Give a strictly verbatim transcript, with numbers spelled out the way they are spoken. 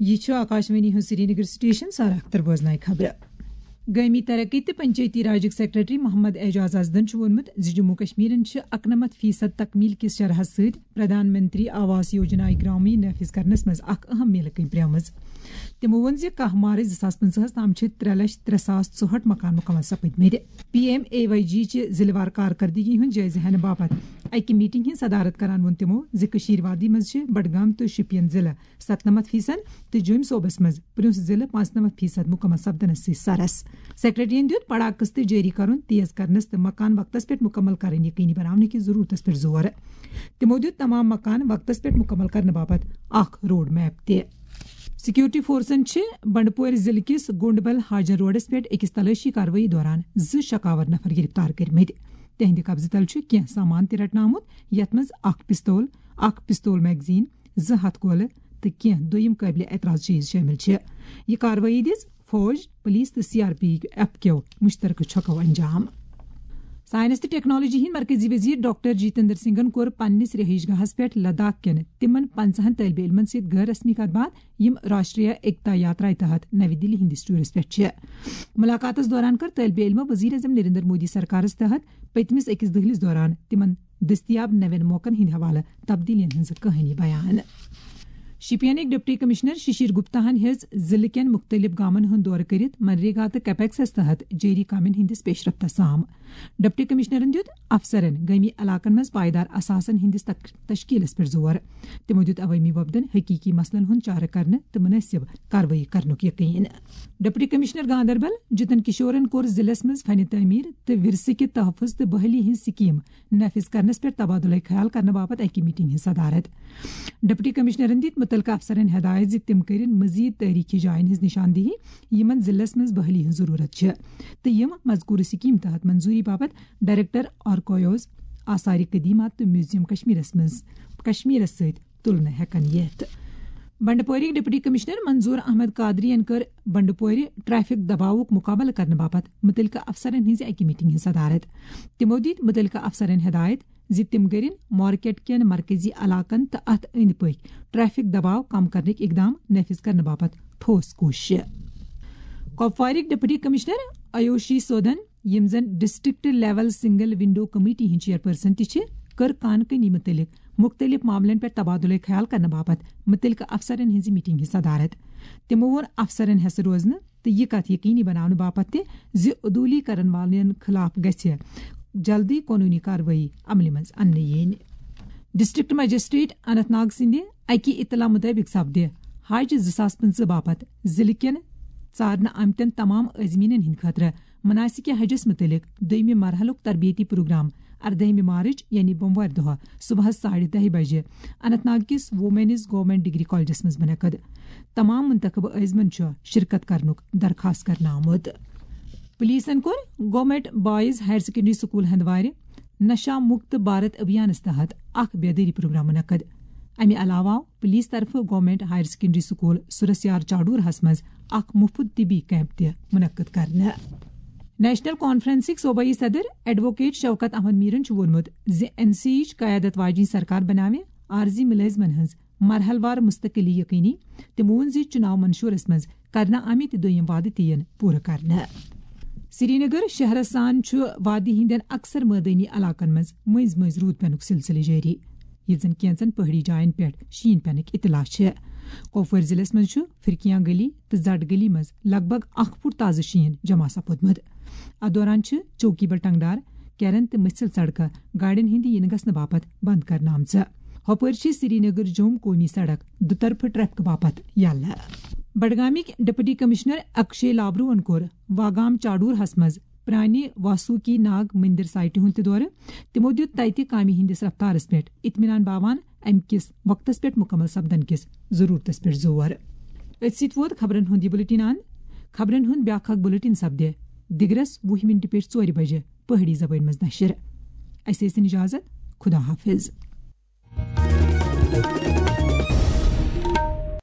یہِ چھُ آکاشوانی ہُنٛد سرینگر سٹیشن، سارا اختر بوزنایہِ خبرٕ۔ گٲمی ترقی تہٕ پنچایتی راجٕکۍ سیکرٹری محمد اعجاز ازدن چھُ ووٚنمُت زِ جموں کشمیرن چھِ اکنمتھ فیصد تکمیل کِس شرحس سۭتۍ پردھان منتری آواس یوجنا گرامیٖن نافذ کرنس منٛز اکھ اہم میلہٕ کٔنۍ پرٛٲمٕژ۔ تِمو ووٚن زِ کاہ مارچ زٕ ساس پٕنٛژٕہس تام چھِ ترٛےٚ لچھ ترٛےٚ ساس ژُہٲٹھ مکان مکمل سپٕدمٕتۍ۔ پی ایم اے واے جی چہِ ضلعہٕ وار کارکردگی ہُنٛد جٲیزٕ ہینہٕ باپتھ اکہِ میٹنگ ہٕنٛز صدارت کران ووٚن تِمو زِ کٔشیٖر وادی منٛز چھِ بڈگام تہٕ شُپین ضلعہٕ ستنمتھ فیصد تہٕ جوٚمۍ صوبس منٛز پرٛنٛس ضلعہٕ پانٛژنمتھ فیصد مکمل سپدنس سۭتۍ سرس۔ سیکرٹریَن دیُت پڑا قسطہٕ جٲری کرُن تیز کرنس تہٕ مکان وقتس پٮ۪ٹھ مکمل کرٕنۍ یقینی بناونہٕ کِس ضروٗرتس پٮ۪ٹھ زور۔ تِمو دیُت تمام مکان وقتس پٮ۪ٹھ مکمل کرنہٕ باپتھ اکھ روڈ میپ تہِ۔ سیکورٹی فورسن چھِ بنڈپورِ ضلعہٕ کِس گونڈبل ہاجن روڈس پٮ۪ٹھ أکِس تلٲشی کاروٲیی دوران زٕ شکاور نفر گرفتار کٔرمٕتۍ۔ تِہنٛدِ قبضہٕ تل چھُ کینٛہہ سامان تہِ رٹنہٕ آمُت، یتھ منٛز اکھ پستول، اکھ پستول میگزین، زٕ ہتھ گولہٕ تہٕ کینٛہہ دوٚیِم قٲبلِ اعتراض چیز شٲمِل چھِ۔ یہِ کاروٲیی دِژ فوج، پولیس تہٕ سی آر پی ایف کیو مشترکہٕ چھۄکو انجام۔ سائنس تہٕ ٹیکنالوجی ہٕنٛدۍ مرکزی وزیر ڈاکٹر جتیندر سنگھن کوٚر پننِس رہائش گاہس پٮ۪ٹھ لداخ کٮ۪ن تِمن پنٛژاہن طٲلبہِ علمن سۭتۍ غٲر رسمی کتھ باتھ، یِم راشٹریہ ایکتا یاترایہِ تحت نوِ دِلہِ ہٕنٛدِس ٹورس پٮ۪ٹھ چھِ۔ ملاقاتس دوران کٔر طٲلبہِ علمو وزیر اعظم نریندر مودی سرکارس تحت پٔتمِس أکِس دٔہلِس دوران تِمن دٔستیاب نوٮ۪ن موقعن ہٕنٛدِ حوالہٕ تبدیلیَن ہٕنٛز کہانی بیان۔ شوپینٕکۍ ڈپٹی کمشنر ششیر گپتا ہن ہیٚژ ضلعہٕ کٮ۪ن مُختٔلِف گامن ہُنٛد دورٕ کٔرِتھ منریگا تہٕ کیپیکسس تحت جٲری کامٮ۪ن ہٕنٛدِس پیشرفتس سام۔ ڈپٹی کمشنرن دیُت افسرن گٲمی علاقن منٛز پائیدار اثاثن ہٕنٛدِس تک-، تشکیلس پٮ۪ٹھ زور۔ تِمو دیُت عوٲمی وفدن حقیقی مسلن ہُنٛد چارٕ کرنہٕ تہٕ مناسب کاروٲیی کرنُک یقین۔ ڈپٹی کمشنر گاندربل جتن کشورن کوٚر ضلعس منٛز فن تعمیر تہٕ ورثہٕ کہِ تحفظ تہٕ بحالی ہٕنٛز سکیٖم نافذ کرنس پٮ۪ٹھ تبادلہ خیال کرنہٕ باپتھ اکہِ میٹنگ ہٕنٛز صدارت۔ ڈپٹی کمشنرن دِتۍ مُتعلقہٕ افسرن ہدایت زِ تِم کٔرِن مزید تٲریخی جاین ہٕنٛز نشاندہی، یِمن ضلعس منٛز بحالی ہٕنٛز ضروٗرت چھِ، تہٕ یِم مذکورٕ سکیٖم تحت منظوری باپتھ ڈائریکٹر آرکائیوز، آثار قدیمہ تہٕ میوزیم کشمیرس منٛز، کشمیرس سۭتۍ تُلنہٕ ہٮ۪کن یِتھ۔ بنڈپورِک ڈپٹی کمشنر منظور احمد قادری ین کٔر بنڈپورِ ٹریفک دباوُک مقابلہٕ کرنہٕ باپتھ مُتعلقہٕ افسرن ہٕنٛزِ اکہِ میٹنگ ہٕنٛز صدارت۔ تِمو دِتۍ مُتعلقہٕ افسرن ہدایت زِ تِم کٔرِن مارکیٹ کٮ۪ن مرکزی علاقن تہٕ اتھ أنٛدۍ پٔکۍ ٹریفک دباو کم کرنٕکۍ اقدام نافذ کرنہٕ باپتھ ٹھوس کوٗشش۔ کۄپوارٕکۍ ڈپٹی کمشنر آیوشی سودن، یِم زن district level single window committee ہٕنٛدۍ چیئرپرسن تہِ چھِ، کٔر کان کٔنی مُتعلق مُختٔلِف معاملن پٮ۪ٹھ تبادلہٕ خیال کرنہٕ باپتھ مُتعلقہٕ افسرن ہٕنٛزِ میٹنگ ہٕنٛز صدارت۔ تِمو ووٚن افسرن ہٮ۪س روزنہٕ تہٕ یہِ کتھ یقینی بناونہٕ باپتھ تہِ زِ عدوٗلی کرن والٮ۪ن خلاف گژھِ جلدی قونوٗنی کاروٲیی عملہِ منٛز اننہٕ یِنۍ۔ ڈسٹرکٹ مجسٹریٹ اننت ناگ سٕنٛدِ اَکہِ اطلاع مُطٲبِق سپدِ حج زٕ ساس پٕنٛژٕہ باپتھ ضلعہٕ کٮ۪ن ژارنہٕ آمتٮ۪ن تمام عازمیٖنَن ہٕنٛدِ خٲطرٕ مناسکِ حجس مُتعلِق دوٚیمہِ مرحلُک تربیتی پروگرام اردٲہمہِ مارچ، یعنی بوموارِ دۄہ صبحس ساڑِ دَہہِ بجہِ اننت ناگ کِس وومینز گورنمنٹ ڈگری کالجس منٛز منعقد۔ تمام منتخب عازمن چھُ شرکت کرنُک درخواست کرنہٕ آمُت۔ پولیسن کوٚر government boys higher secondary school ہندوارِ نشہ مکت بھارت ابھیانس تحت اکھ بیدٲری پروگرام منعقد۔ امہِ علاوٕ آو پولیس طرفہٕ گورنمنٹ ہائر سیکنڈری سکول سورسیار چاڈورہس منٛز اکھ مُفت طبی کیمپ تہِ منعقد کرنہٕ۔ نیشنل کانفرنسٕکۍ صوبائی صدر ایڈووکیٹ شوکت احمد میرن چھُ ووٚنمُت زِ این سی یچ قیادت واجنۍ سرکار بناوِ عارضی ملٲزمن ہٕنٛز مرحلہٕ وار مستقلی یقینی۔ تٔمۍ ووٚن زِ چُناو منشورس منٛز کرنہٕ آمٕتۍ دوٚیِم وعدٕ تہِ یِن پوٗرٕ کرنہٕ۔ سرینگر شہرس سان چھُ وادی ہٕنٛدٮ۪ن اکثر مٲدٲنی علاقن منٛز مٔنٛزۍ مٔنٛزۍ روٗد پینُک سلسلہٕ جٲری، ییٚتہِ زن کینٛژن پہٲڑی جاین پٮ۪ٹھ شیٖن پینٕکۍ اطلاع چھِ۔ کۄپوٲرۍ ضلعس منٛز چھُ فرقیاں گلی تہٕ زڈ گلی منٛز لگ بگ اکھ فُٹ تازٕ شیٖن جمع سپُدمُت۔ اتھ دوران چھِ چوکی بل ٹنگڈار، کیرن تہٕ مٔژھِل سڑکہٕ گاڑٮ۪ن ہٕنٛدِ یِنہٕ گژھنہٕ باپتھ بند کرنہٕ آمژٕ۔ ہۄپٲرۍ چھِ سرینگر جوٚم قومی سڑک دُطرفہٕ ٹریفک باپتھ یلہٕ۔ بڈگامٕکۍ ڈپٹی کمشنر اکشے لابروہن کوٚر واگام چاڈورہس منٛز پرانہِ واسوکی ناگ مندر سائٹہِ ہُنٛد تہِ دورٕ۔ تِمو دیُت تتہِ کامہِ ہٕنٛدِس رفتارس پٮ۪ٹھ اطمینان باوان امہِ کِس وقتس پٮ۪ٹھ مکمل سپدن کِس ضرورتس پٮ۪ٹھ زور۔ أتھۍ سۭتۍ ووت خبرن ہُنٛد یہِ بلیٹن اند۔ خبرن ہُنٛد بیاکھ اکھ بلیٹن سپدِ دِگرس وُہ منٹہِ پٮ۪ٹھ ژورِ بجہِ پہٲڑی زبٲنۍ منٛز نشر۔ اسہِ ٲسِن اجازت۔ خدا حافظ۔